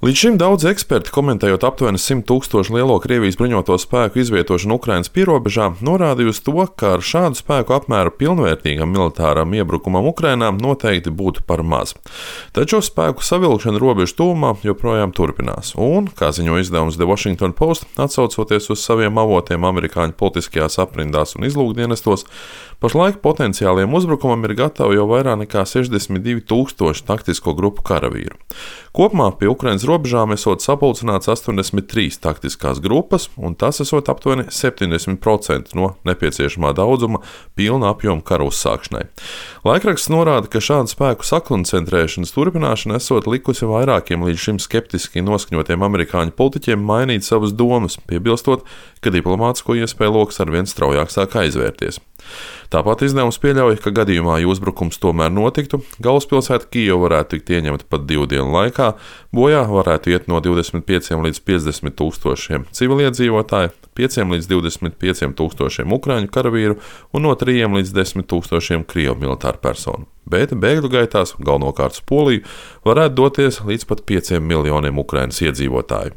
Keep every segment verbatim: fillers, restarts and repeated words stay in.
Līdz šim daudz eksperti, komentējot aptuveni simt tūkstošu lielo Krievijas bruņoto spēku izvietošanu Ukrainas pierobežā, norādīja uz to, ka ar šādu spēku apmēru pilnvērtīgam militāram iebrukumam Ukrainā noteikti būtu par maz. Taču spēku savilkšana robežu tuvumā joprojām turpinās, un, kā ziņo izdevums The Washington Post, atsaucoties uz saviem avotiem amerikāņu politiskajās aprindās un izlūkdienestos, pašlaik potenciāliem uzbrukumam ir gatavi jau vairāk nekā sešdesmit divi tūkstoši taktisko grupu karavīru. Kopumā pie Ukrainas robežām esot sapulcināts astoņdesmit trīs taktiskās grupas, un tas esot aptuveni septiņdesmit procenti no nepieciešamā daudzuma pilna apjoma kara uzsākšanai. Laikraksts norāda, ka šādu spēku sakoncentrēšanas turpināšana esot likusi vairākiem līdz šim skeptiski noskaņotiem amerikāņu politiķiem mainīt savas domas, piebilstot, ka diplomātisko iespēju loks arvien straujāk sāk aizvērties. Tāpat izdevums pieļauj, ka gadījumā, ja uzbrukums tomēr notiktu, galvaspilsēta Kijeva varētu tikt ieņemta pat divu dienu laikā, bojā varētu iet no divdesmit pieciem līdz piecdesmit tūkstošiem civiliedzīvotāju, pieciem līdz divdesmit pieciem tūkstošiem ukraiņu karavīru un no trījiem līdz desmit tūkstošiem krievu militāru personu. Bet bēgļu gaitās, galvenokārt uz Poliju, varētu doties līdz pat pieciem miljoniem Ukrainas iedzīvotāju.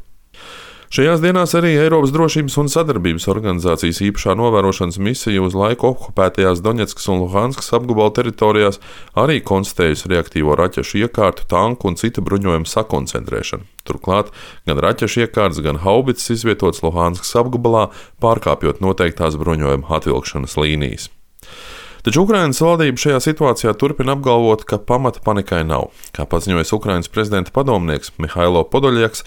Šajās dienās arī Eiropas drošības un sadarbības organizācijas īpašā novērošanas misija uz laiku okupētajās Doņetskas un Luhanskas apgabala teritorijās arī konstatējusi reaktīvo raķešu iekārtu, tanku un citu bruņojumu sakoncentrēšanu. Turklāt gan raķešu iekārtas, gan haubicas izvietotas Luhanskas apgabalā, pārkāpjot noteiktās bruņojuma atvilkšanas līnijas. Taču Ukrainas valdība šajā situācijā turpina apgalvot, ka pamata panikai nav. Kā paziņojis Ukrainas prezidenta padomnieks Mihailo Podoļjaks,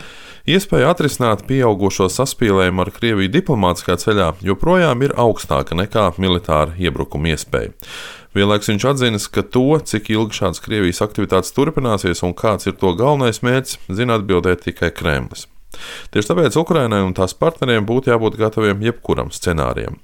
iespēja atrisināt pieaugušo saspīlējumu ar Krieviju diplomātiskā ceļā joprojām ir augstāka nekā militāra iebrukuma iespēja. Vienlaikus viņš atzinis, ka to, cik ilgi šādas Krievijas aktivitātes turpināsies un kāds ir to galvenais mērķis, zina atbildēt tikai Kremlis. Tieši tāpēc Ukrainai un tās partneriem būtu jābūt gataviem jebkuram scenārijam.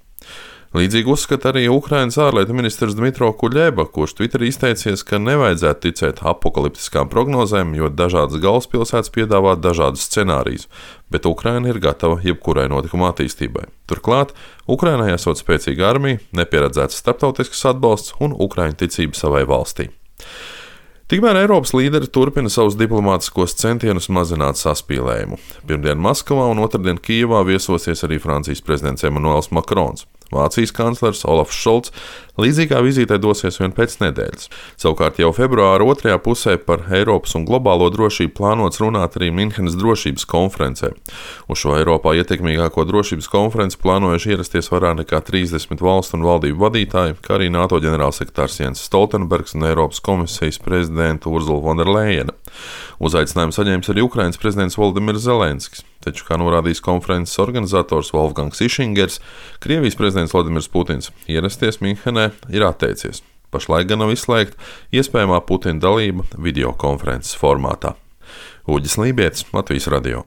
Līdzīgi uzskata arī Ukrainas ārlietu ministrs Dmitro Kuļeba, kurš Twitterī izteicies, ka nevajadzētu ticēt apokaliptiskām prognozēm, jo dažādas galvaspilsētas piedāvā dažādus scenārijus, bet Ukraina ir gatava jebkurai notikuma attīstībai. Turklāt, Ukrainai esot spēcīga armija, nepieredzēts starptautisks atbalsts un ukraiņu ticība savai valstī. Tikmēr Eiropas līderi turpina savus diplomātiskos centienus mazināt saspīlējumu. Pirmdien Maskavā un otrdien Kijevā viesosies arī Francijas prezidents Emmanuels Macrons. Vācijas kanclers Olafs Šolts līdzīgā vizītē dosies vien pēc nedēļas. Savukārt jau februāra otrajā pusē par Eiropas un globālo drošību plānots runāt arī Minhenes drošības konferencē. Uz šo Eiropā ietekmīgāko drošības konferenci plānojuši ierasties vairāk nekā trīsdesmit valstu un valdību vadītāji, kā arī NATO ģenerālsekretārs Jens Stoltenbergs un Eiropas komisijas prezidenta Ursula von der Leyena. Uzaicinājumu saņēmis arī Ukrainas prezidents Volodimirs Zelenskis. Taču, kā norādījis konferences organizators Wolfgangs Išingers, Krievijas prezidents Vladimirs Putins ierasties Minhenē ir atteicies. Pašlaik gan nav izslēgta iespējamā Putina dalība videokonferences formātā. Uģis Lībietis, Latvijas radio.